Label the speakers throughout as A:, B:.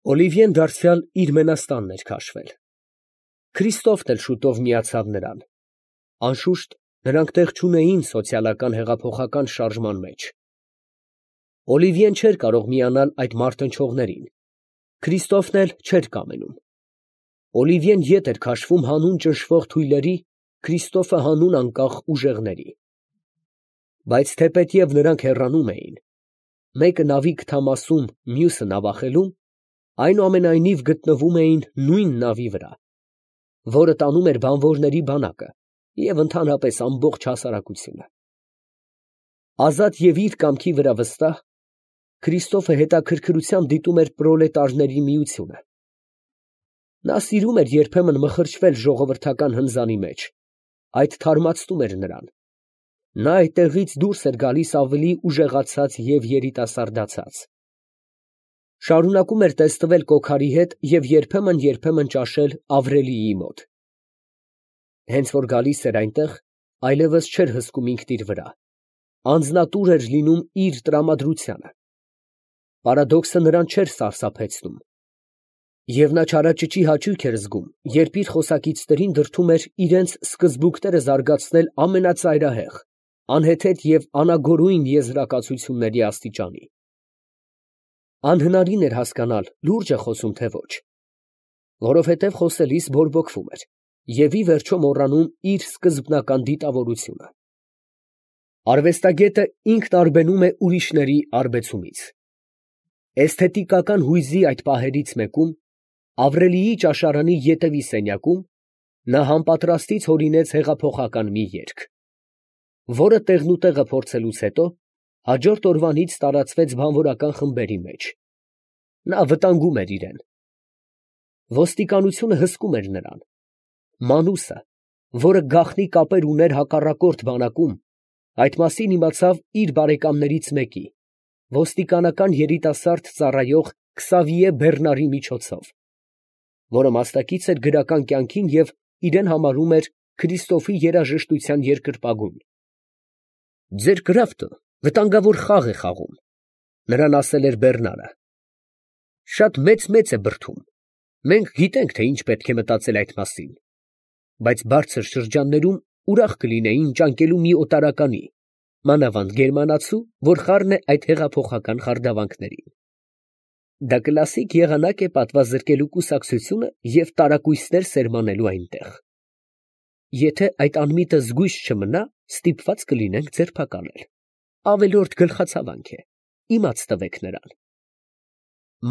A: Օլիվիեն դարձյալ իր մենաստանն էր քաշվել։ Քրիստոֆն էլ շուտով միացավ նրան։ Անշուշտ, նրանք տեղ չունեին սոցիալական հեղափոխական շարժման մեջ։ Օլիվիեն չէր կարող միանալ այդ մարտնչողներին, Քրիստոֆն էլ չէր կամենում։ Օլիվիեն ետ էր քաշվում հանուն ճնշվող թույլերի, Քրիստոֆը հանուն անկախ ուժեղների։ Բայց թեպետև նրանք հեռանում էին, մեկը նավի քթամասում, մյուսը նավախելում, այնուամենայնիվ գտնվում էին նույն նավի վրա, որը տանում էր բանվորների բանակը և ընդհանրապես ամբողջ հասարակությունը։ Ազատ և իր կամքի վրա վստահ, Քրիստոֆը հետաքրքրությամբ դիտում էր պրոլետարների միությունը։ Նա սիրում էր երբեմն մխրճվել ժողովրդական հնձանի մեջ, այդ թարմացնում էր նրան։ Նա այդտեղից դուրս էր գալիս ավելի ուժեղացած և երիտասարդացած։ Շարունակում էր տեսնվել կոքարի հետ և երբեմն ճաշել Ավրելիի մոտ։ Հենց որ գալիս էր այնտեղ, այլևս չէր հսկում ինքն իր վրա, անձնատուր էր լինում իր տրամադրությանը։ Պարադոքսը նրան չէր սարսափեցնում։ Եվ նա չարաճճի հաճույք էր զգում, երբ իր խոսակիցներին դրդում էր իրենց սկզբունքները զարգացնել ամենածայրահեղ, անհեթեթ և անագորույն եզրակացությունների աստիճանի։ Անհնարին էր հասկանալ լուրջ է խոսում, թե ոչ, որովհետև խոսելիս բորբոքվում էր և ի վերջո մոռանում իր սկզբնական դիտավորությունը։ Արվեստագետը ինքն արբենում է ուրիշների արբեցումից։ Էսթետիկական հույզի այդ պահերից մեկում, Ավրելիի ճաշարանի ետևի սենյակում, նա համապատրաստից հորինեց հեղափոխական մի երգ, որը տեղնուտեղը փորձելուց հետո հաջորդ օրվանից տարածվեց բանվորական խմբերի մեջ։ Նա վտանգում էր իրեն։ Ոստիկանությունը հսկում էր նրան։ Մանուսը, որը գաղտնի կապեր ուներ հակառակորդ բանակում, այդ մասին իմացավ իր բարեկամներից մեկի, ոստիկանական երիտասարդ ծառայող Քսավիե Բեռնարի միջոցով, որը մասնակից էր գրական կյանքին և իրեն համարում էր Քրիստոֆի երաժշտության երկրպագուն։ «Ձեր կրավտը վտանգավոր խաղ է խաղում», ֊ նրան ասել էր Բեռնարը։ «Շատ մեծ է բրդում, մենք գիտենք, թե ինչ պետք է մտածել այդ մասին, բայց բարձր շրջաններում ուրախ կլինեին ճանկելու մի օտարականի, մանավանդ գերմանացու, որ խառն է այդ հեղափոխական խարդավանքներին։ Դա կլասիկ եղանակ է պատվազրկելու կուսակցությունը և տարակույսներ սերմանելու այնտեղ։ Եթե այդ անմիտը զգույշ չմնա, ստիպված կլինենք ձերբակալել։ Ավելորդ գլխացավանք է, իմաց տվեք նրան»։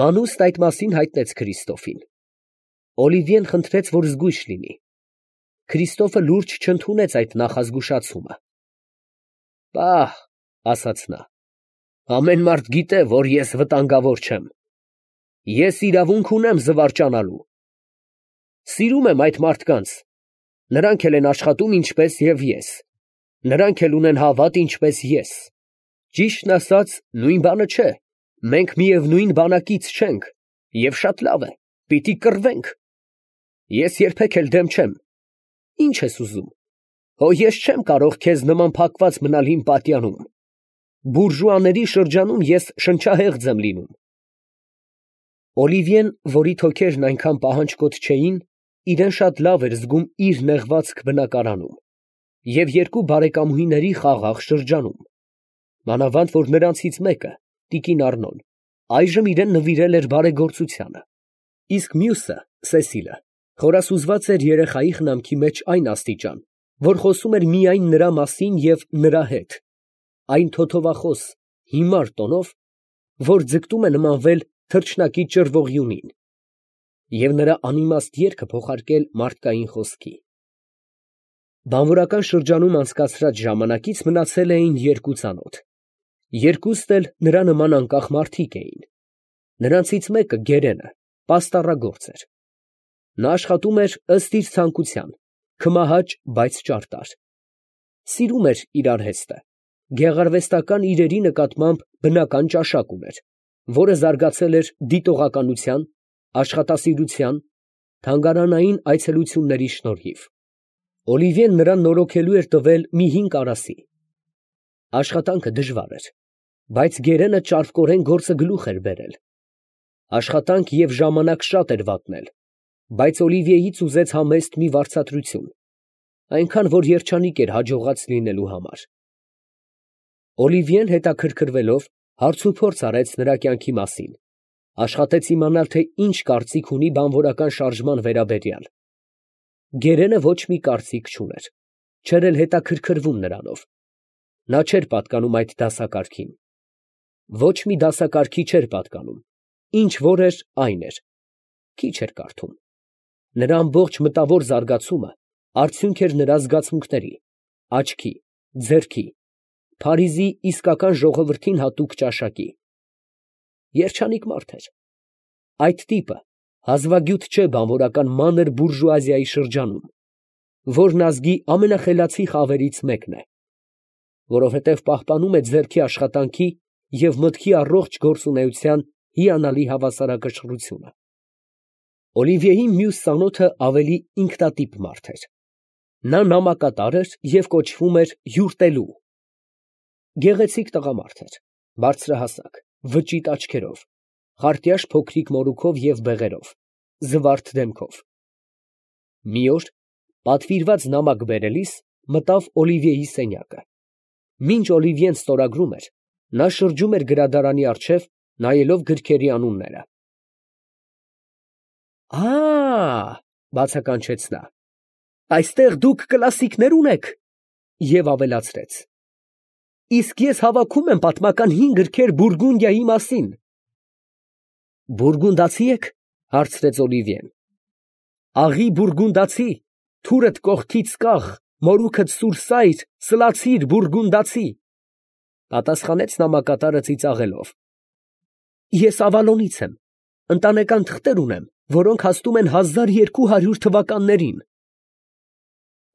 A: Մանուսն այդ մասին հայտնեց Քրիստոֆին։ Օլիվիեն խնդրեց, որ զգույշ լինի։ Քրիստոֆը լուրջ չընդունեց այդ նախազգուշացումը։ «Պահ», ֊ ասաց նա, ֊ ամեն մարդ գիտե, որ ես վտանգավոր չեմ։ Ես իրավունք ունեմ զվարճանալու։ Սիրում եմ այդ մարդկանց, նրանք էլ են աշխատում ինչպես և ես, նրանք էլ ունեն հավատ ինչպես ես։ Ճիշտն ասած, նույն բանը չէ, մենք միևնույն բանակից չենք, և շատ լավ է, պիտի կռվենք։ Ես երբեք էլ դեմ չեմ։ Ի՞նչ ես ուզում, հո ես չեմ կարող քեզ նման փակված մնալ իմ պատյանում։ Բուրժուաների շրջանում ես շնչահեղձ եմ լինում։ Օլիվիեն, որի թոքերն այնքան պահանջկոտ չէին, իրեն շատ լավ էր զգում իր նեղվածք բնակարանում և երկու բարեկամուհիների խաղաղ շրջանում, մանավանդ որ նրանցից մեկը, տիկին Առնոն, այժմ իրեն նվիրել էր բարեգործությանը, իսկ մյուսը, Սեսիլը, խորասուզված էր երեխայի խնամքի մեջ այն աստիճան, որ խոսում էր միայն նրա մասին և նրա հետ, այն թոթովախոս, հիմար տոնով, որ ձգտում է նմանվել թռչնակի ճռվողյունին, և նրա անիմաստ երգը փոխարկել մարդկային խոսքի։ Բանվորական շրջանում անցկացրած ժամանակից մնացել էին երկու ծանոթ։ Երկուստ էլ նրա նման անկախ մարդիկ էին։ Նրանցից մեկը, Գերենը, պաստառագործ էր։ Նա աշխատում էր ըստ իր ցանկության, քմահաճ, բայց ճարտար։ Սիրում էր իր արհեստը, գեղարվեստական իրերի նկատմամբ բնական ճաշակ ուներ, որը զարգացել էր դիտողականության, աշխատասիրության, թանգարանային այցելությունների շնորհիվ։ Օլիվիեն նրան նորոգելու էր տվել մի 5 կարասի։ Աշխատանքը դժվար էր, բայց Գերենը ճարպկորեն գործը գլուխ էր բերել։ Աշխատանք և ժամանակ շատ էր վատնել, բայց Օլիվիեից ուզեց համեստ մի վարձատրություն, այնքան, որ երջանիկ էր հաջողած լինելու համար։ Օլիվիեն հետաքրքրվելով հարցուփորձ արեց նրա կյանքի մասին, աշխատեց իմանալ, թե ինչ կարծիք ունի բանվորական շարժման վերաբերյալ։ Գերենը ոչ մի կարծիք չուներ, չէր էլ հետաքրքրվում նրանով։ Նա չէր պատկանում այդ դասակարգին։ Ոչ մի դասակարգի չէր պատկանում, ինչ որ էր, այն էր։ Քիչ էր կարդում։ Նրա ամբողջ մտավոր զարգացումը արդյունք էր նրա զգացմունքների, աչքի, ձեռքի, Փարիզի իսկական ժողովրդին հատուկ ճաշակի։ Երջանիկ մարդ էր։ Այդ տիպը հազվագյուտ չէ բանվորական մանր բուրժուազիայի շրջանում, որն ազգի ամենախելացի խավերից մեկն է, որովհետև պահպանում է ձեռքի աշխատանքի և մտքի առողջ գործունեության հիանալի հավասարակշռությունը։ Օլիվիեի մյուս ծանոթը ավելի ինքնատիպ մարդ էր։ Նա նամակատար էր և կոչվում էր հյուրտելու։ Գեղեցիկ տղամարդ էր, բարձրահասակ, վճիտ աչքերով, խարտյաշ փոքրիկ մորուքով և բեղերով, զվարթ դեմքով։ Մի օր պատվիրված նամակ բերելիս մտավ Օլիվիեի սենյակը։ Մինչ Օլիվիեն ստորագրում էր, նա շրջում էր գրադարանի առջև, նայելով գրքերի անունները։ Բացականչեց նա, այստեղ դուք կլասիկներ ունեք, և ավելացրեց. իսկ ես հավաքում եմ պատմական 5 գրքեր Բուրգունդիայի մասին։ Բուրգունդացի եք, հարցրեց Օլիվիեն։ Աղի բուրգունդացի, թուրդ կողքից կախ, մորուքդ սուրսայր, սլացիր բուրգունդացի, պատասխանեց նամակատարը ծիծաղելով։ Ես Ավալոնից եմ, ընտանեկան թղթեր ունեմ, որոնք հասնում են 1200 թվականներին։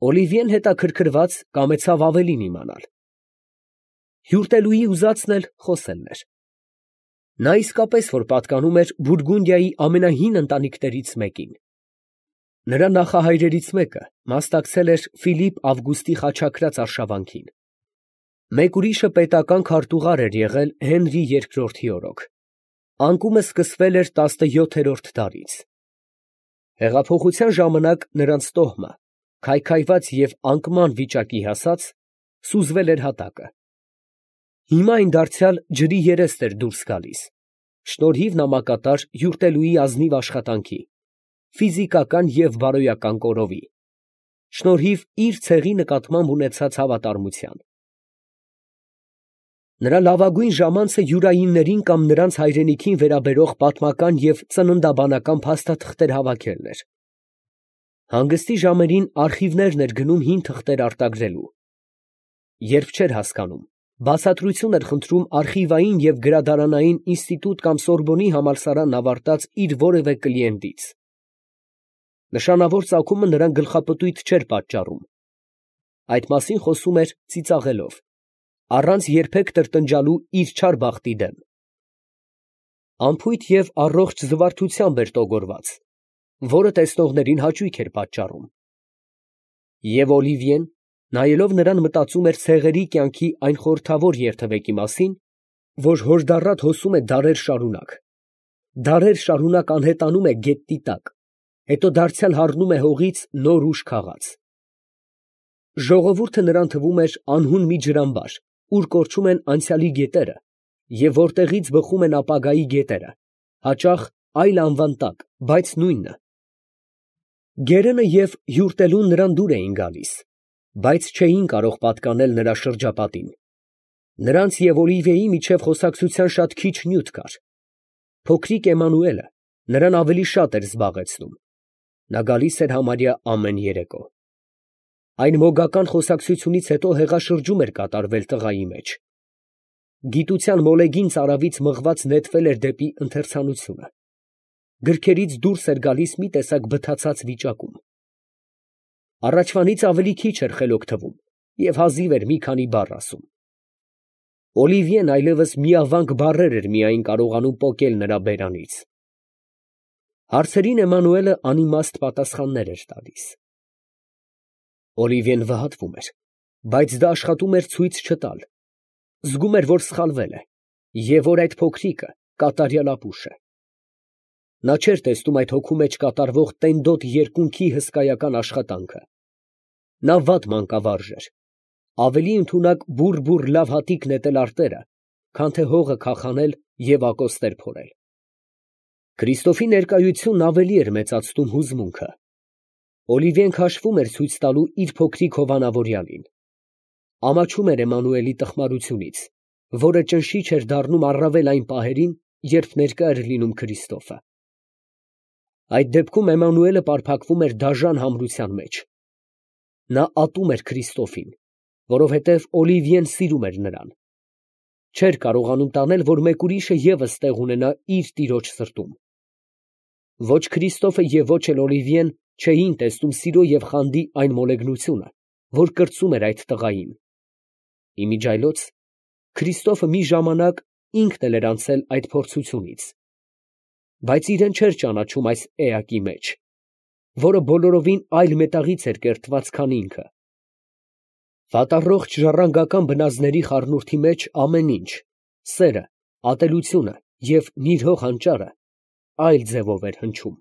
A: Օլիվիեն հետաքրքրված կամեցավ ավելին իմանալ։ Հյուրտելուի ուզածն էլ խոսելն էր։ Նա իսկապես որ պատկանում էր Բուրգունդիայի ամենահին ընտանիքներից մեկին։ Նրա նախահայրերից մեկը մասնակցել էր Ֆիլիպ Ավգուստի խաչակրաց արշավանքին։ Մեկ ուրիշը պետական քարտուղար էր եղել Հենրի II օրոք։ Անկումը սկսվել էր 17-րդ դարից։ Հեղափոխության ժամանակ նրանց տոհմը, քայքայված և անկման վիճակի հասած, սուզվել էր հատակը։ Հիմա այն դարձյալ ջրի երեստ էր դուրս գալիս, շնորհիվ նամակատար հյուրտելուի ազնիվ աշխատանքի, ֆիզիկական և բարոյական կորովի, շնորհիվ իր ցեղի նկատմամբ ունեցած հավատարմության։ Նրա լավագույն ժամանցը յուրայիններին կամ նրանց հայրենիքին վերաբերող պատմական և ծննդաբանական փաստաթղթեր հավաքելն էր։ Հանգստի ժամերին արխիվներն էր գնում հին թղթեր արտագրելու։ Երբ չէր հասկանում, բացատրություն էր խնդրում արխիվային և գրադարանային ինստիտուտ կամ Սորբոնի համալսարան ավարտած իր որևէ կլիենտից։ Նշանավոր ծագումը նրան գլխապտույտ չէր պատճառում։ Այդ մասին խոսում էր ծիծաղելով, առանց երբեք տրտնջալու իր չար բախտի դեմ։ Անփույթ և առողջ զվարթությամբ էր տոգորված, որը տեսնողներին հաճույք էր պատճառում։ Եվ Օլիվիեն, նայելով նրան, մտածում էր ցեղերի կյանքի այն խորհրդավոր երթևեկի մասին, որ հորդառատ հոսում է դարեր շարունակ անհետանում է գետնի տակ, հետո դարձյալ հառնում է հողից նոր ուժ քաղած։ Ժողովուրդը նրան թվում էր անհուն մի ջրամբար, ուր կորչում են անցյալի գետերը և որտեղից բխում են ապագայի գետերը, հաճախ այլ անվան տակ, բայց նույնը։ Գերենը և հյուրտելուն նրան դուր էին գալիս, բայց չէին կարող պատկանել նրա շրջապատին։ Նրանց և Օլիվիեի միջև խոսակցության շատ քիչ նյութ կար։ Փոքրիկ Էմանուելը նրան ավելի շատ էր զբաղեցնում։ Նա գալիս էր համարյա ամեն երեկո։ Այն մոգական խոսակցությունից հետո հեղաշրջում էր կատարվել տղայի մեջ։ Գիտության մոլեգին ծարավից մղված նետվել էր դեպի ընթերցանությունը։ Գրքերից դուրս էր գալիս մի տեսակ բթացած վիճակում։ Առաջվանից ավելի քիչ էր խելոք թվում և հազիվ էր մի քանի բառ ասում։ Օլիվիեն այլևս միավանք բառեր էր միայն կարողանում պոկել նրա բերանից։ Հարցերին Էմանուելը անիմաստ պատասխաններ էր տալիս։ Օլիվիեն վհատվում էր, բայց դա աշխատում էր ցույց չտալ։ Զգում էր, որ սխալվել է, և որ այդ փոքրիկը կատարյալ ապուշ է։ Նա չէր տեսնում այդ հոգու մեջ կատարվող տենդոտ երկունքի հսկայական աշխատանքը։ Նա վատ մանկավարժ էր, ավելի ընդունակ բուռ լավ հատիկ նետել արտերը, քան թե հողը քախանել և ակոստեր փորել։ Քրիստոֆի ներկայությունն ավելի էր մեծացնում հուզմունքը։ Օլիվիեն քաշվում էր ցույց տալու իր փոքրիկ հովանավորյալին։ Ամաչում էր Էմմանուելի տխմարությունից, որը ճնշիչ էր դառնում առավել այն պահերին, երբ ներկա էր լինում Քրիստոֆը։ Այդ դեպքում Էմմանուելը պարփակվում էր դաժան համրության մեջ։ Նա ատում էր Քրիստոֆին, որովհետև Օլիվիեն սիրում էր նրան։ Չէր կարողանում տանել, որ մեկ ուրիշը ևս տեղ ունենա իր տիրոջ սրտում։ Ոչ Քրիստոֆը և ոչ էլ Օլիվիեն չէին տեսնում սիրո և խանդի այն մոլեգնությունը, որ կրծում էր այդ տղային։ Իմիջիայլոց Քրիստոֆը մի ժամանակ ինքն էլ էր անցել այդ փորձությունից, բայց իրեն չէր ճանաչում այս էակի մեջ, որը բոլորովին այլ մետաղից էր կերտված, քան ինքը։ Վատառողջ ժառանգական բնազդների խառնուրդի մեջ ամեն ինչ, սերը, ատելությունը և նիրհող հանճարը, այլ ձևով էր հնչում։